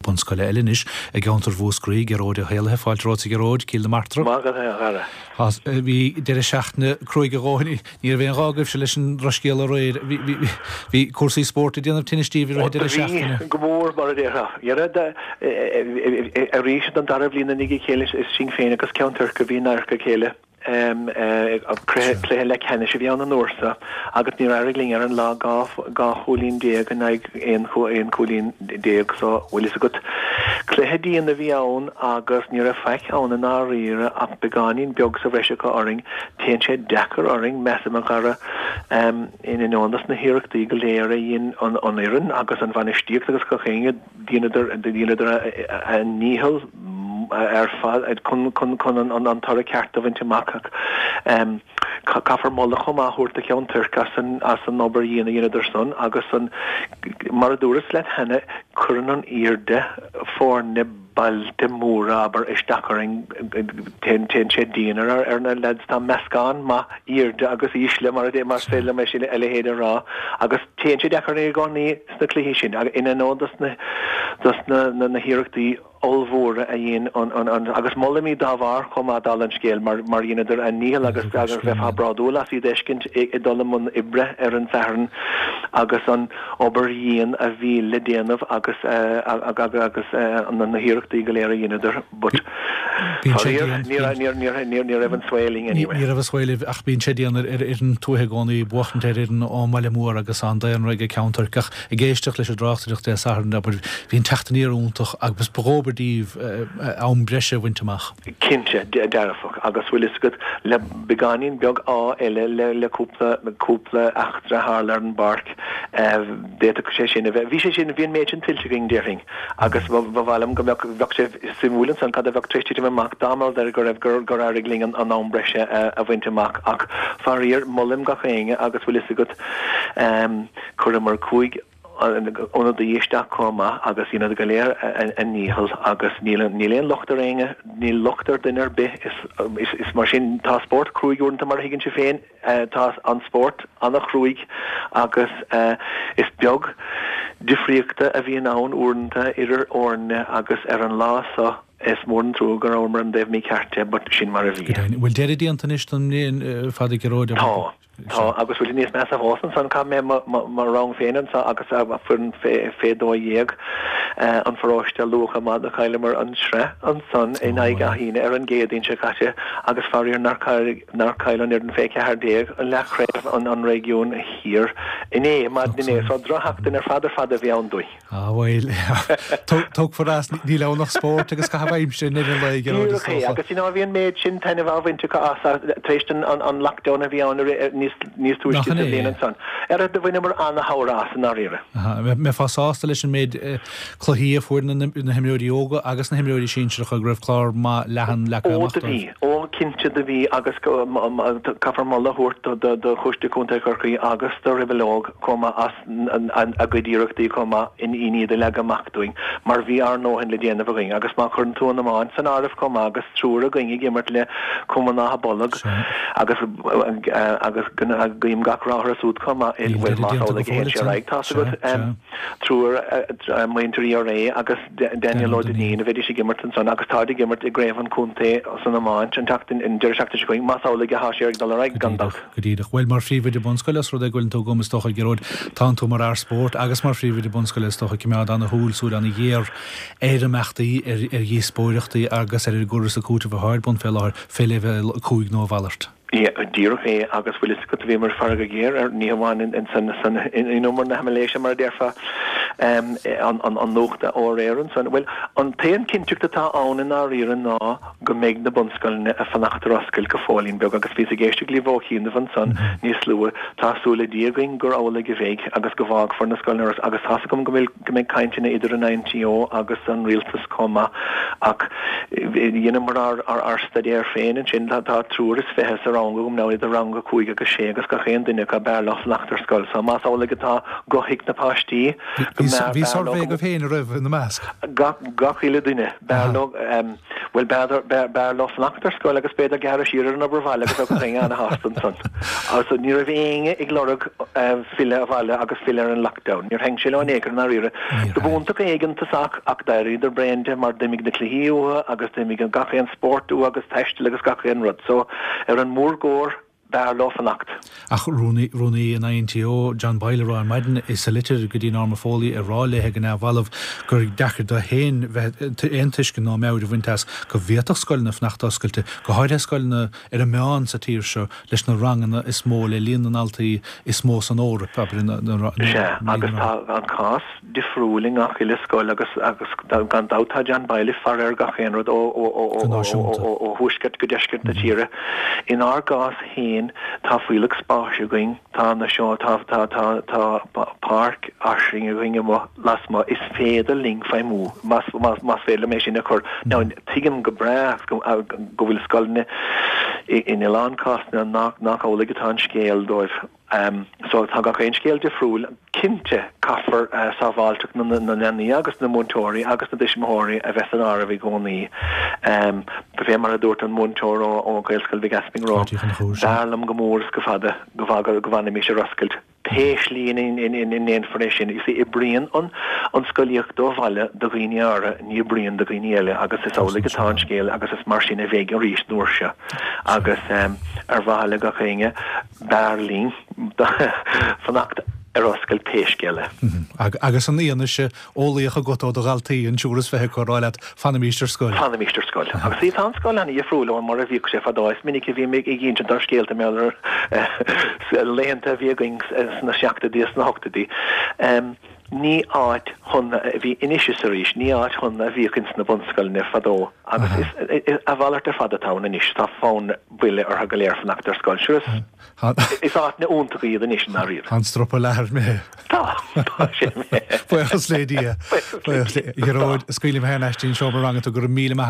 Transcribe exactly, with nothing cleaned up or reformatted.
bunscoile eile anois i gceantar Mhúscraí, Gearóid Ó hÉallaithe, fáilte romhat a Ghearóid, Cill na Martra. Maith agat a chara. Bhí deireadh seachtaine cruaidh a dhóthain, ní raibh aon ghá agaibhse leis an drochscéal aréir, bhí cúrsaí spóirt ag déanamh tinnis daoibh i rith an deireadh seachtaine. Bhí, go mór mar a déarfá. Arís don dara bhliain i ndiaidh a chéile is sinn féin agus Ceann Toirc a bhí in adharca a chéile. Cluiche leathcheannais a bhí ann an uair seo agus níor éirigh linn ar an lá dhá chúilín déag in aghaidh aon chúilín déag so bhfuil fhios agat. Cluiche dian a bhí ann agus ní raibh faic ann i ndáiríre ach beagáinín beag sa bhreis acu orainn. Téann sé deacair orainn, measaim a chara, in ainneoin dos na hiarrachtaí go léir a dhein an fhoireann agus an bhainistíocht agus gach éinne, dheineadar a ndícheall ar fad chun an toradh ceart a bhaint amach ach caithfear moladh chomh maith a thabhairt do Cheann Toirc as an obair dhian a dheineadar san agus an, mar a dúras leat cheana, cuireann an airde foirne bailte móra, abair, isteach orainn, téann sé dian ar na leaids, tá meascán maith airde agus ísle mar a más féidir liom é sin a leithéid a rá agus téann sé deacair orainn i gcónaí sna cluichí sin in ainneoin dos na dos na hiarrachtaí ollmhóra a dhein an an agus molaim iad dá bharr chomh maith dála an scéil mar mar dheineadar a ndícheall agus agus bheifeá bródúil as iad a fheiscint ag dul i mbun oibre ar an Satharn agus an obair dhian a bhí le déanamh agus agus na hiarrachtaí go léir a dheineadar but faraor ní ní raibh an svae linn anyway. Ní raibh an svae libh ach bíonn sé dian ar fhoireann tuaithe i gcónaí buachaint ar fhoireann ón mbaile mór agus an daonra ag Ceann Toirc ach ag éisteacht leis an dtráchtaireacht Dé Sathairn abair bhí an teacht aniar iontach agus ba dhóbair daoibh am breise a bhaint amach. Cinnte, dearfach agus bhfuil fhios agat le beagáinín beag ádh eile le le cúpla cúpla eachtra a tharla ar an bpáirc d'fhéadfadh sé sin a bheith bhí sé sin bhí an méid sin tuillte againn déarfainn agus ba mhaith liom go mbeadh bheadh sé suimiúil ansan cad a bheadh tar éis titim amach dá mba rud é go raibh gur gur éirigh linn an an am breise a bhaint amach ach faraor molaim gach éinne agus bhfuil fhios agat chuireamar cúig ionadaí isteach chomh maith agus dheineadar go léir a ndícheall agus níl níl aon locht ar éinne, níl locht ar duine ar bith, is is mar sin, tá spórt cruaidh uaireanta mar a thuigeann sibh féin, tá an spórt an-chruaidh agus is beag difríochta a bhíonn ann uaireanta idir fhoirne agus ar an lá so is mór an trua go rabhamar ar an dtaobh mícheart de but sin mar a bhí. Go deimhin. Bhfuil deireadh déanta anois don mbliain, a Phadaí Ghearóid? Tá. Tá, agus bhfuil níos measa fós ansan, chaith mé mo rang féin anso agus foireann fé dó dhéag an pharóiste luath chomh maith do chailleamar an sraith ansan in aghaidh Áth Fhíona ar an gCéadaoin seo caite agus faraor nár nár chaill an fhoireann fé ceathair déag an leathchraobh an réigiúin thiar inné, maidin inné. So drochsheachtain ar fad ar fad a bhí ann dúinn. Ah bhuel, tógfar as, níl ann ach spórt agus caitheamh aimsire i ndeireadh an lae, a Ghearóid, is Díreach é, dócha. agus you know bhí an méid sin taitneamh á bhaint acu as tar éis an lockdown a bhí ann níos níos túisce Nach sa in é? bhliain ansan. Ar do bhaineamar ana-shamhradh as i ndáiríre. Aha, mbeifeá sásta leis an méid cluichí a fuair na na himreoirí óga agus na himreoirí sinsearacha, go raibh clár maith leathan leagtha Ó amach do dóibh? bhí, ó cinnte do bhí agus caithfear moladh a thabhairt do do Choiste Contae Chorcaí agus do Rebel Óg chomh maith as a gcuid iarrachtaí chomh maith in iad a leagadh amach dúinn mar bhí ár ndóthain le déanamh againn agus má chuireann tú an iomáint san áireamh chomh maith agus triúr againn ag imirt le Cumann Átha Bolg agus agus guím gach rath orthu siúd chomh maith bhuel más amhlaidh a théann sé ar aghaidh tá's agat triúr muintir ERA agus Daniel Ó Duinnín a bheidís ag imirt ansan agus táid ag imirt i gcraobh an chontae san iomáint an tseachtain an deireadh seachtaine seo chugainn más amhlaidh atá sé ag dul ar aghaidh gan dabht. Go díreach. Bhuel, mar phríomhoide bunscoile, os rud é go bhfuileann tú agam, is dócha, Gearóid, tánn tú mar fhear spóirt agus mar phríomhoide bunscoile, is dócha, ag coimeád ana-shúil, súil ana-ghéar ar imeachtaí, ar ar dhíospóireachtaí agus ar an gcur is an cúiteamh atá ar bun fé láthair, fé leibhéal a cúig nó a mhalairt. Yeah, díreach é, agus bhfuil fhios agat, bhíomar ag faire go géar air, ní hamháin in san, san, in umar na haimiléise, mar a déarfá, an, an, an nuacht ó aréir ansan. Bhuel, an t-aon cinnteacht atá ann i ndáiríre ná, go mbeidh na bunscoileanna ag fanacht ar oscailt go fóillín beag agus bhíos ag éisteacht libh ó chianaibh ansan níos luaithe. Tá súil le Dia againn gur amhlaidh a bheidh agus go bhfágfar na scoileanna ar oscailt agus tá's agam go bhfuil go mbeidh cainteanna idir an INTO agus an rialtas chomh maith ach dheineamar ár ár staidéar féin ansin. Tá tá triúr is fiche sa rang agam now idir rang a cúig agus sé agus gach aon duine acu b'fhearr leo fanacht ar scoil so más amhlaidh atá guth ag na páistí go Bhí mb'fhearr bhí leo suirbhé go agaibh féin a raibh ina measc? gach gach uile duine b'fhearr leo. Bhuel, b'fhearr leo fanacht ar scoil agus b'fhéidir gearradh siar ar an obair bhaile agus bheadh éinne ana-shásta ansan. So ní raibh éinne ag lorg filleadh abhaile agus filleadh ar an lockdown. Níor thaitin sé leo in aon chor i ndáiríre. Do b'iontach éigeantasach ach d'éiríodar bréan de mar d'imigh na cluichí uathu agus d'imigh gach aon spórt uathu agus taisteal agus gach aon rud. So ar an mórgóir, b'fhearr leo fanacht. Ach Rúnaí, Rúnaí an INTO, John Boyle, ag rá ar maidin sa litir go dtí Norma Foley ag rá léithe go neamhbhalbh gur deacair dó féin bheith aon tuiscint ná meabhair a bhaint as go bhféadfadh scoileanna fanacht oscailte, go háirithe scoileanna ar an meán sa tír seo leis na ranganna is mó, le líon na ndaltaí is mó san Eoraip, abair, na, na, na, Sea, agus tá an cás difriúil i ngach uile scoil agus, agus gan dabht tá John Boyle ag faire ar gach aon rud ó, ó, ó, ó, ó, ó, ó thuaisceart go deisceart na tíre. Inár gcás féin, tá fuílleach spáis againn, tá na seo, tá, tá, tá, tá páirc fhairsing againn amuigh lasmuigh, is féidir linn feidhmiú, más, más, más féidir liom é sin a chur. Now, tuigim go breá go, go bhfuil scoileanna in a lán cásanna nach, nach amhlaidh atá an scéal dóibh. So tá gach aon scéal difriúil. Cinnte, caithfear sábháilteacht na leanaí agus na múinteoirí agus na dtuismitheoirí a bheith san áireamh i gcónaí. Fé mar a dúirt an múinteoir ó Ghaelscoil Mhic Easmainn romham, b'fhearr liom go mór is go fada go bhfanfaimis ar oscailt. Pé slí ina ndéanfar é sin, you see, oibríonn an scolaíocht ó bhaile do dhaoine áirithe, ní oibríonn do dhaoine eile agus is amhlaidh atá an scéal agus is mar sin a bheidh arís an uair seo. Agus ar mhaithe le gach éinne, b'fhearr linn fanacht ar oscailt pé scéal é. Agus an fhianaise eolaíoch agat ó do dhaltaí, an triúr is fiche acu ag rá leat, fanaimis ar scoil. Fanaimis ar scoil. Agus tá an scoil an-dhifriúil ó mar a bhíodh sé fadó. Is minic a bhím ag insint ár scéalta mar gheall ar laethanta a bhí againn sna seachtóidí is sna hochtóidí. Ní áit shona a bhí anois is arís, ní áit shona a bhíodh ins na bunscoileanna fadó agus is a mhalairt ar fad atá ann anois, tá fonn buile orthu go léir fanacht ar scoil. Sure is is áiteanna iontacha iad anois i ndáiríre. Tá an strapa leathair imithe. Tá, tá sé imithe. Buíochas le Dia. Buíochas le Dia. Gearóid, scaoilfidh mé thar n-ais dtí'n seomra ranga tú, go raibh míle maith